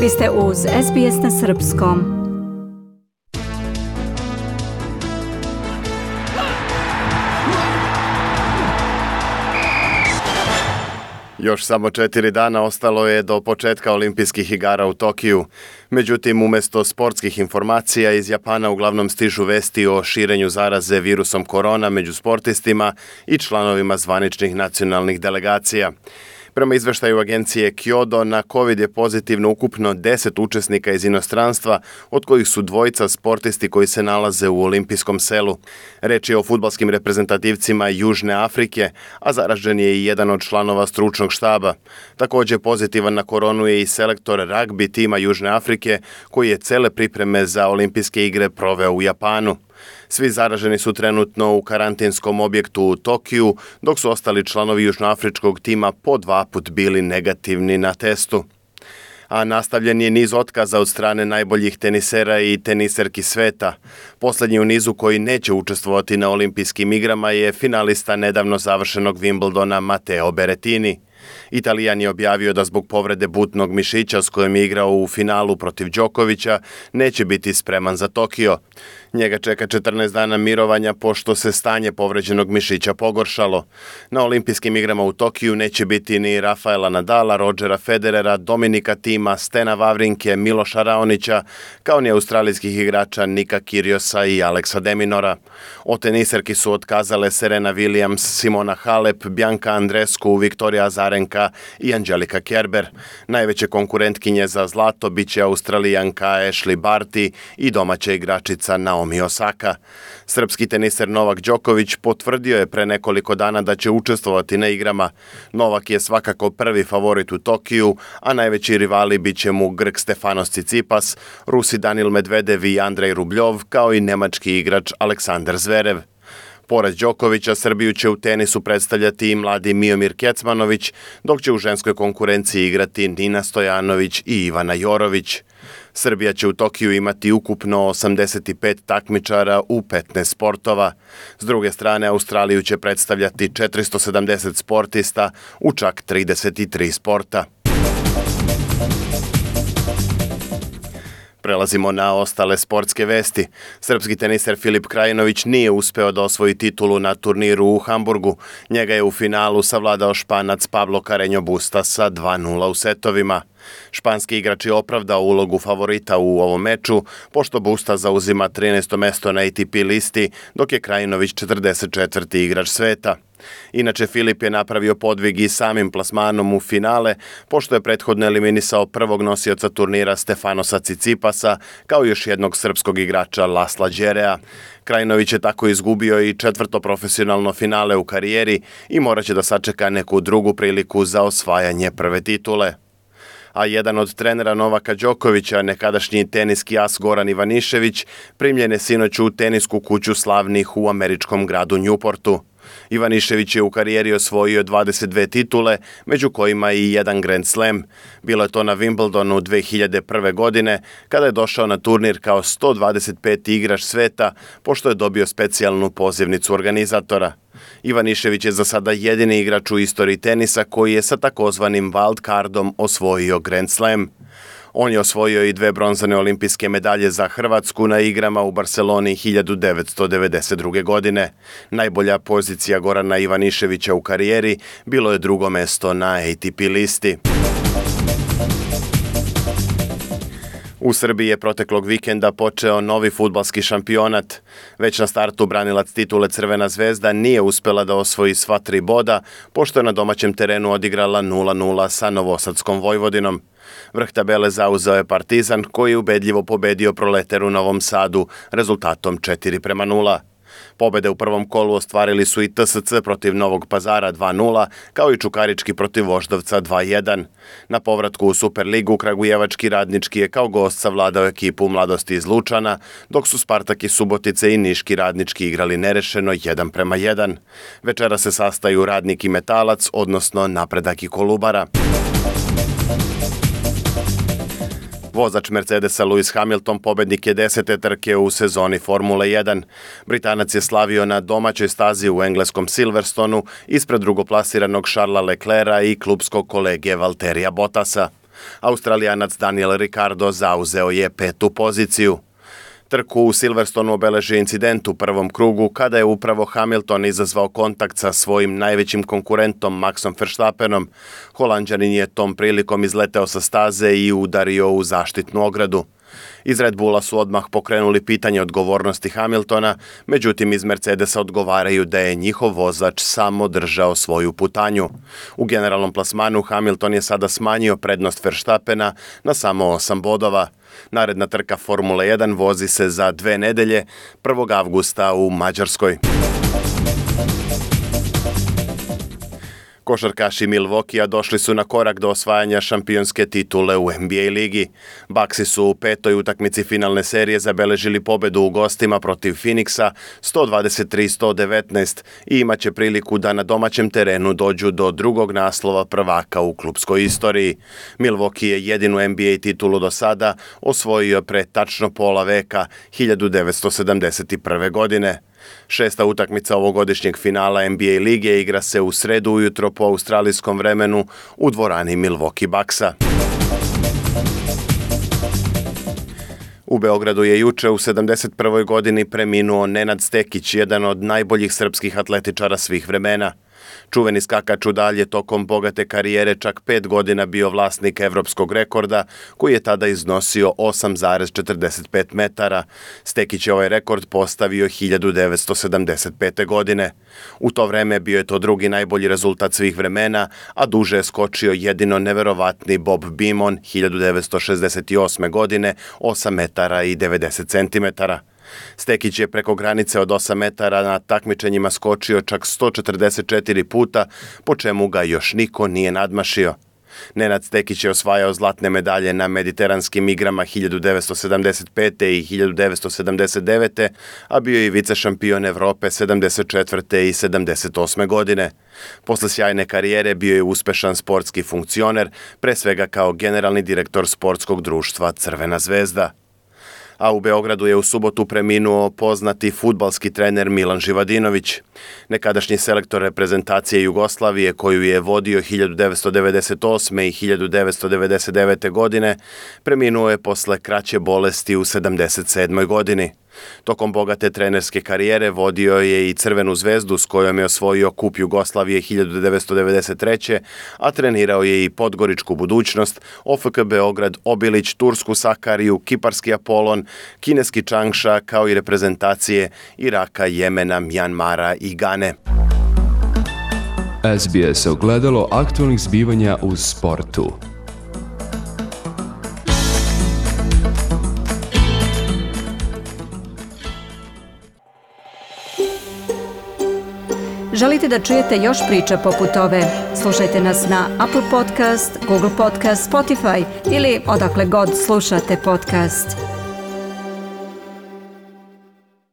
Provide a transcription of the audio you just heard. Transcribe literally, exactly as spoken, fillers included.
Vi ste uz S B S na srpskom. Još samo četiri dana ostalo je do početka olimpijskih igara u Tokiju. Međutim, umjesto sportskih informacija iz Japana uglavnom stižu vesti o širenju zaraze virusom korona među sportistima i članovima zvaničnih nacionalnih delegacija. Prema izveštaju agencije Kyodo, na COVID je pozitivno ukupno deset učesnika iz inostranstva, od kojih su dvojica sportisti koji se nalaze u olimpijskom selu. Reč je o fudbalskim reprezentativcima Južne Afrike, a zaražen je i jedan od članova stručnog štaba. Također pozitivan na koronu je i selektor ragbi tima Južne Afrike, koji je cele pripreme za olimpijske igre proveo u Japanu. Svi zaraženi su trenutno u karantinskom objektu u Tokiju, dok su ostali članovi južnoafričkog tima po dva put bili negativni na testu. A nastavljen je niz otkaza od strane najboljih tenisera i teniserki sveta. Posljednji u nizu koji neće učestvovati na olimpijskim igrama je finalista nedavno završenog Wimbledona Matteo Berrettini. Italijan je objavio da zbog povrede butnog mišića s kojim je igrao u finalu protiv Đokovića neće biti spreman za Tokio. Njega čeka četrnaest dana mirovanja pošto se stanje povređenog mišića pogoršalo. Na olimpijskim igrama u Tokiju neće biti ni Rafaela Nadala, Rodgera Federera, Dominika Thima, Stena Wawrinke, Miloša Raonića, kao ni australijskih igrača Nika Kyrgiosa i Alexa de Minaura. O teniserki su otkazale Serena Williams, Simona Halep, Bianca Andreescu, Viktorija Azarenka i Angelika Kerber. Najveće konkurentkinje za zlato bit će Australijanka Ashley Barty i domaća igračica Naomi Osaka. Srpski teniser Novak Đoković potvrdio je pre nekoliko dana da će učestvovati na igrama. Novak je svakako prvi favorit u Tokiju, a najveći rivali bit će mu Grk Stefanos Tsitsipas, Rusi Danil Medvedev i Andrej Rubljov, kao i nemački igrač Aleksandar Zverev. Pored Đokovića, Srbiju će u tenisu predstavljati i mladi Miomir Kecmanović, dok će u ženskoj konkurenciji igrati Nina Stojanović i Ivana Jorović. Srbija će u Tokiju imati ukupno osamdeset pet takmičara u petnaest sportova. S druge strane, Australiju će predstavljati četiristo sedamdeset sportista u čak trideset tri sporta. Prelazimo na ostale sportske vesti. Srpski teniser Filip Krajinović nije uspeo da osvoji titulu na turniru u Hamburgu. Njega je u finalu savladao Španac Pablo Carreño Busta sa dva nula u setovima. Španski igrač je opravdao ulogu favorita u ovom meču, pošto Busta zauzima trinaesto mesto na A T P listi, dok je Krajinović četrdeset četvrti igrač sveta. Inače, Filip je napravio podvig i samim plasmanom u finale, pošto je prethodno eliminisao prvog nosioca turnira Stefanosa Tsitsipasa, kao još jednog srpskog igrača Lasla Đerea. Krajinović je tako izgubio i četvrto profesionalno finale u karijeri i morat će da sačeka neku drugu priliku za osvajanje prve titule. A jedan od trenera Novaka Đokovića, nekadašnji teniski as Goran Ivanišević, primljen je sinoć u tenisku kuću slavnih u američkom gradu Newportu. Ivanišević je u karijeri osvojio dvadeset dve titule, među kojima i jedan Grand Slam. Bilo je to na Wimbledonu dve hiljade prve. godine, kada je došao na turnir kao sto dvadeset peti igrač sveta, pošto je dobio specijalnu pozivnicu organizatora. Ivanišević je za sada jedini igrač u istoriji tenisa koji je sa takozvanim wild cardom osvojio Grand Slam. On je osvojio i dve bronzane olimpijske medalje za Hrvatsku na igrama u Barceloni hiljadu devetsto devedeset druge. godine. Najbolja pozicija Gorana Ivaniševića u karijeri bilo je drugo mesto na A T P listi. U Srbiji je proteklog vikenda počeo novi fudbalski šampionat. Već na startu branilac titule Crvena zvezda nije uspela da osvoji sva tri boda, pošto je na domaćem terenu odigrala nula nula sa Novosadskom Vojvodinom. Vrh tabele zauzeo je Partizan, koji je ubedljivo pobedio Proleter u Novom Sadu rezultatom četiri prema nula. Pobede u prvom kolu ostvarili su i T S C protiv Novog Pazara dva nula, kao i Čukarički protiv Voždovca dva jedan. Na povratku u Superligu Kragujevački Radnički je kao gost savladao ekipu Mladosti iz Lučana, dok su Spartak iz Subotice i Niški Radnički igrali nerešeno jedan prema jedan. Večera se sastaju Radnik i Metalac, odnosno Napredak i Kolubara. Vozač Mercedesa Lewis Hamilton pobednik je desete trke u sezoni Formule jedan. Britanac je slavio na domaćoj stazi u engleskom Silverstonu ispred drugoplasiranog Charlesa Leclerca i klubskog kolege Valterija Bottasa. Australijanac Daniel Ricciardo zauzeo je petu poziciju. Trku u Silverstonu obeležio incident u prvom krugu kada je upravo Hamilton izazvao kontakt sa svojim najvećim konkurentom Maxom Verstappenom. Holanđanin je tom prilikom izleteo sa staze i udario u zaštitnu ogradu. Iz Red Bulla su odmah pokrenuli pitanje odgovornosti Hamiltona, međutim iz Mercedesa odgovaraju da je njihov vozač samo držao svoju putanju. U generalnom plasmanu Hamilton je sada smanjio prednost Verstappena na samo osam bodova. Naredna trka Formule jedan vozi se za dve nedelje, prvog avgusta u Mađarskoj. Košarkaši Milwaukeea došli su na korak do osvajanja šampionske titule u N B A ligi. Bucksi su u petoj utakmici finalne serije zabeležili pobedu u gostima protiv Phoenixa sto dvadeset tri sto devetnaest i imaće priliku da na domaćem terenu dođu do drugog naslova prvaka u klupskoj istoriji. Milwaukee je jedinu N B A titulu do sada osvojio pre tačno pola veka, hiljadu devetsto sedamdeset prve. godine. Šesta utakmica ovogodišnjeg finala N B A lige igra se u sredu ujutro po australijskom vremenu u dvorani Milwaukee Bucksa. U Beogradu je juče u sedamdeset prvoj. godini preminuo Nenad Stekić, jedan od najboljih srpskih atletičara svih vremena. Čuveni skakač u dalje tokom bogate karijere čak pet godina bio vlasnik evropskog rekorda, koji je tada iznosio osam zarez četrdeset pet metara. Stekić je ovaj rekord postavio hiljadu devetsto sedamdeset pete. godine. U to vreme bio je to drugi najbolji rezultat svih vremena, a duže je skočio jedino neverovatni Bob Beamon hiljadu devetsto šezdeset osme. godine, osam metara i devedeset centimetara. Stekić je preko granice od osam metara na takmičenjima skočio čak sto četrdeset četiri puta, po čemu ga još niko nije nadmašio. Nenad Stekić je osvajao zlatne medalje na mediteranskim igrama hiljadu devetsto sedamdeset pete. i hiljadu devetsto sedamdeset devete. a bio je i vice šampion Evrope sedamdeset četvrte. i sedamdeset osme. godine. Posle sjajne karijere bio je uspešan sportski funkcioner, pre svega kao generalni direktor sportskog društva Crvena zvezda. A u Beogradu je u subotu preminuo poznati fudbalski trener Milan Živadinović. Nekadašnji selektor reprezentacije Jugoslavije, koju je vodio hiljadu devetsto devedeset osme. i hiljadu devetsto devedeset devete. godine, preminuo je posle kraće bolesti u sedamdeset sedmoj. godini. Tokom bogate trenerske karijere vodio je i Crvenu zvezdu s kojom je osvojio kup Jugoslavije hiljadu devetsto devedeset treće. a trenirao je i Podgoričku budućnost, O F K Beograd, Obilić, Tursku Sakariju, Kiparski Apolon, kineski Čangša, kao i reprezentacije Iraka, Jemena, Mjanmara i Gane. S B S ogledalo aktualnih zbivanja u sportu. Želite da čujete još priča poput ove? Slušajte nas na Apple Podcast, Google Podcast, Spotify ili odakle god slušate podcast.